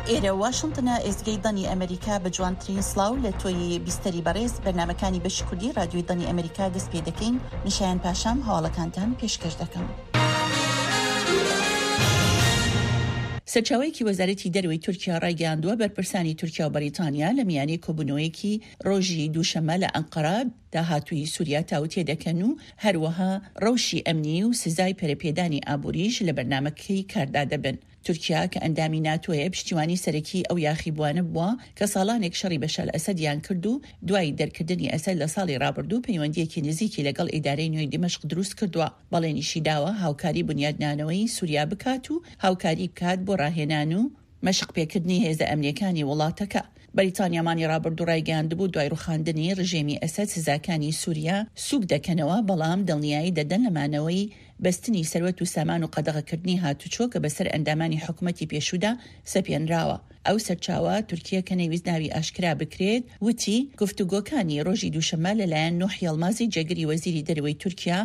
ئێرە واشنتنە ئێزگەی دەنگی ئەمریکا بە جوانترین سڵاو لە تۆی بیستەری بەڕێز بەرنامەکانی بەشی کوردی ڕادیۆی دەنگی ئەمریکا دەست پێ دەکەین من شایان پاشام هەواڵەکانتان پێشکەش دەکەم. سەرچاوەیەکی وەزارەتی دەرەوەی تورکیا ڕایگەیاندووە، بەرپرسانی تورکیا و بەریتانیا لە میانەی کۆبوونەوەیەکی ڕۆژی دووشەممە لە ئەنقەرە داهاتووی سووریا تاوتێ دەکەن و هەروەها ڕەوشی ئەمنی و سزای پەرەپێدانی ئابووریش لە بەرنامەکەی کاردا دەبن. تورکیا کە ئەندامی ناتۆیە پشتیوانی سەرەکیی ئەو یاخیبووانە بووە کە ساڵانێک شەڕی بەشار ئەسەدیان کرد و دوای دەرکردنی ئەسەد لە ساڵی ڕابردوو پەیوەندییەکی نزیکی لەگەڵ ئیدارەی نوێی دیمەشق دروست کردووە. بەڵێنیشی داوە هاوکاری بونیادنانەوەی سوریا بکات و هاوکاری بکات بۆ ڕاهێنان و مەشقپێکردنی هێزە ئەمنییەکانی وڵاتەکە. بەریتانیا مانگی ڕابردوو ڕایگەیاندبوو دوای ڕوخاندنی ڕژێمی ئەسەد سزاکانی سوریا سوک دەکەنەوە، بەڵام دڵنیایی دەدەن لە مانەوەی بەستنی سەروەت و سامان و قەدەغەکردنی هاتوچۆ کە بەسەر ئەندامانی حکومەتی پێشوودا سەپێنراوە. ئەو سەرچاوە تورکییە کە نەیویست ناوی ئاشکرا بکرێت، وتی، گفتوگۆکانی ڕۆژی دووشەممە لەلایەن نوح یەڵمازی جێگری وەزیری دەرەوەی تورکیا،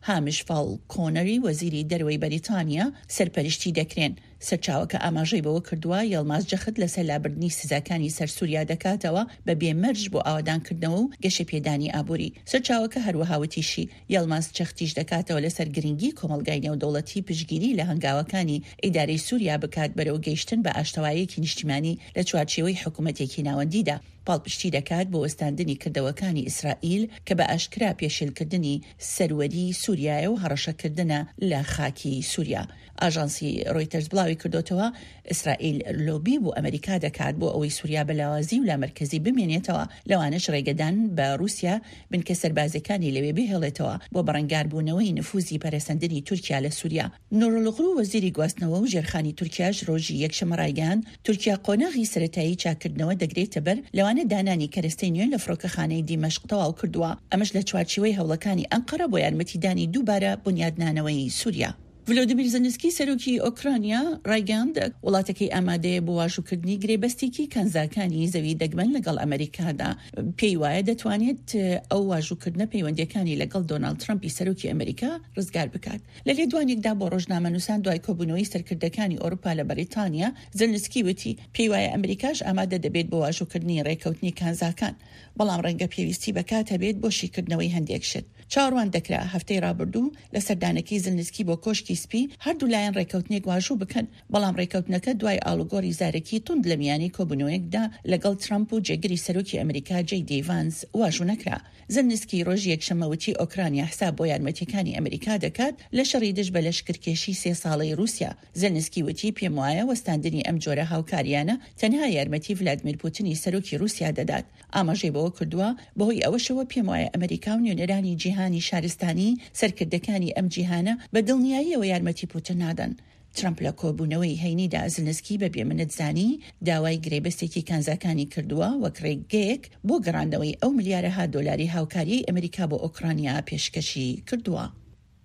هامش فاڵکۆنەری وەزیری دەرەوەی بەریتانیا سەرپەرشتی دەکرێن. سەرچاوەکە ئاماژەی بەوە کردووە، یەڵماز جەخت لەسەر لابردنی سزاکانی سەر سووریا دەکاتەوە بە بێ مەرج بۆ ئاوەدانکردنەوە و گەشەپێدانی ئابووری. سەرچاوەکە هەروەها وتیشی، یەڵماز جەختیش دەکاتەوە لەسەر گرنگی کۆمەڵگای نێودەوڵەتی پشتگیری لە هەنگاوەکانی ئیدارەی سووریا بکات بەرەو گەیشتن بە ئاشتەوایەکی نیشتیمانی لە چوارچێوەی حکومەتێکی ناوەندیدا پاڵپشتی دەکات بۆ وەستاندنی کردەوەکانی ئیسرائیل کە بە ئاشکرا پێشێلکردنی سەروەریی سووریایە و هەڕەشەکردنە لە خاکی سووریا. ئاژانسی ڕۆیتەرز بڵاویکردۆتەوە، ئیسرائیل لۆبی بۆ ئەمریکا دەکات بۆ ئەوەی سوریا بە لاوازی و لامەرکەزی بمێنێتەوە، لەوانەش ڕێگەدان بە ڕوسیا بنکە سەربازیەکانی لەوێ بهێڵێتەوە بۆ بەڕەنگاربوونەوەی نفوزی پەرەسەندنی تورکیا لە سوریا. نورولغرو وەزیری گواستنەوە و ژێرخانی تورکیاش ڕۆژی یەکشەممە ڕایگەیاند، تورکیا قۆناغی سەرەتایی چاککردنەوە دەگرێتەبەر، لەوانە دانانی کەرەستەی نوێ لە فڕۆکەخانەی دیمەشق تەواو کردووە، ئەمەش لە چوارچیوەی هەوڵەکانی ئەنقەرە بۆ یارمەتیدانی دووبارە بونیادنانەوەی سوریا. ڤلۆدیمیر زێلێنسکی سەرۆکی ئۆکرانیا ڕایگەیاند، وڵاتەکەی ئامادەیە بۆ واژووکردنی گرێبەستێکی کانزاکانی زەوی دەگمەن لەگەڵ ئەمەریکادا، پێی وایە دەتوانێت ئەو واژووکردنە پەیوەندییەکانی لەگەڵ دۆناڵد ترەمپی سەرۆکی ئەمەریکا ڕزگار بکات. لە لێدوانێکدا بۆ ڕۆژنامەنووسان دوای کۆبوونەوەی سەرکردەکانی ئەوروپا لە بەریتانیا، زێلێنسکی وتی، پێی وایە ئەمریکاش ئامادە دەبێت بۆ واژووکردنی ڕێککەوتنی کانزاکان، بەڵام ڕەنگە پێویستی بە کات هەبێت بۆ شیکردنەوەی هەندێک شت. چاوەڕوان دەکرا هەفتەی ڕابردوو لە سەردانەکەی زلنسکی بۆ کۆشکی سپی هەردوو لایەن ڕێککەوتنێک واژوو بکەن، بەڵام ڕێککەوتنەکە دوای ئاڵوگۆڕی زارەکی توند لە میانەی کۆبوونەوەیەکدا لەگەڵ ترەمپ و جێگری سەرۆکی ئەمریکا جەی دی ڤانس واژوو نەکرا. زلنسکی ڕۆژی یەکشەممە وتی ئۆکرانیا حساب بۆ یارمەتییەکانی ئەمریکا دەکات لە شەڕی دژ بە لەشکرکێشی سێ ساڵەی ڕووسیا. زلنسکی وتی پێموایە وەستاندنی ئەم جۆرە هاوکارییانە تەنها یارمەتی ڤلادمیر پوتنی سەرۆکی ڕووسیا دەدات. ئاماژەی بەوە کردووە، بەهۆی ئەوەشەوە پێموایە ئەمەریکا و نوێنەرانی جیهانی شارستانی، سەرکردەکانی ئەم جیهانە بە دڵنیاییەوە یارمەتی پوتن نادەن. ترەمپ لە کۆبوونەوەی هەینیدا زلنسکی بە بێمنەت زانی، داوای گرێبەستێکی کانزاکانی کردووە وەک رێگەیەک بۆ گەڕاندنەوەی ئەو ملیارەها دۆلاری هاوکارییەی ئەمەریکا بۆ ئۆکرانیا پێشکەشی کردووە.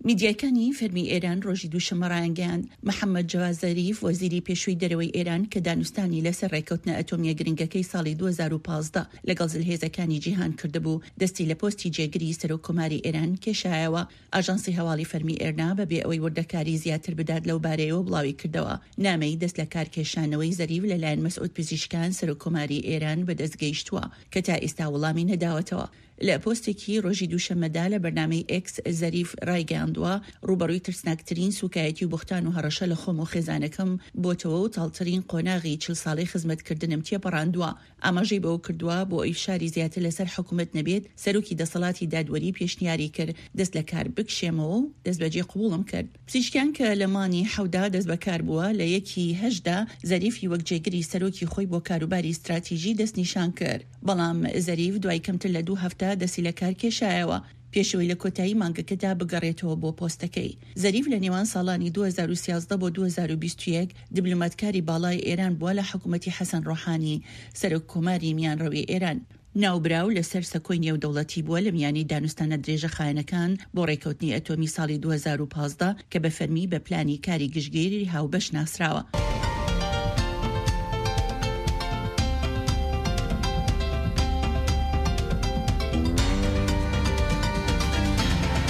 میدیاکانی فەرمی ئێران ڕۆژی دووشەممە ڕایانگەیاند، محەممەد جەواد زەریف، وەزیری پێشووی دەرەوەی ئێران کە دانوستانی لەسەر ڕێککەوتنە ئەتۆمییە گرنگەکەی ساڵی 2015 لەگەڵ زلهێزەکانی جیهان کردبوو، دەستی لە پۆستی جێگری سەرۆک کۆماری ئێران کێشایەوە. ئاژانسی هەواڵی فەرمی ئێرنا بە بێ ئەوەی وردەکاری زیاتر بدات لەو بارەیەوە بڵاویکردەوە، نامەی دەست لەکارکێشانەوەی زەریف لەلایەن مەسعود پزیشکان سەرۆک کۆماری ئێران بەدەست گەیشتووە کە تا ئیستا وڵامی نەداوەتەوە. لە پۆستێکی ڕۆژی دووشەممەدا لە بەرنامەی ئێکس زەریف ڕایگەیاندووە، ڕووبەڕووی ترسناکترین سووکایەتی و بوختان و هەڕەشە لە خۆم و خێزانەکەم بۆتەوە و تاڵترین قۆناغی 40 ساڵەی خزمەتکردنم تێپەڕاندووە. ئاماژەی بەوەکردووە، بۆ ئەوەی فشاری زیاتر لەسەر حکومەت نەبێت، سەرۆکی دەسەڵاتی دادوەری پێشنیاری کرد دەست لە کار بکشێمەوە و دەستبەجێ قبوڵم کرد. پزیشکیان کە لە مانگی حەوتدا دەستبەکار بووە، لە یەکی هەشتدا زەریفی وەک جێگری سەرۆکی خۆی بۆ کاروباری ستراتیژی دەستنیشان کرد. بەڵام زەریف دوای کەمتر لە دوو هەفتە دەستی لە کار کێشایەوە، پێش ئەوەی لە کۆتایی مانگەکەدا بگەڕێتەوە بۆ پۆستەکەی. زەریف لە نێوان ساڵانی 2013 بۆ 2021 دیبلۆماتکاری باڵای ئێران بووە لە حکومەتی حەسەن ڕۆحانی، سەرۆک کۆماری میانڕەوی ئێران. ناوبراو لەسەر سەکۆی نێودەوڵەتی بووە لە میانەی دانوستانە درێژەخایەنەکان بۆ ڕێککەوتنی ئەتۆمی ساڵی 2015 کە بە فەرمی بە پلانی کاری گشتگیری هاوبەش ناسراوە.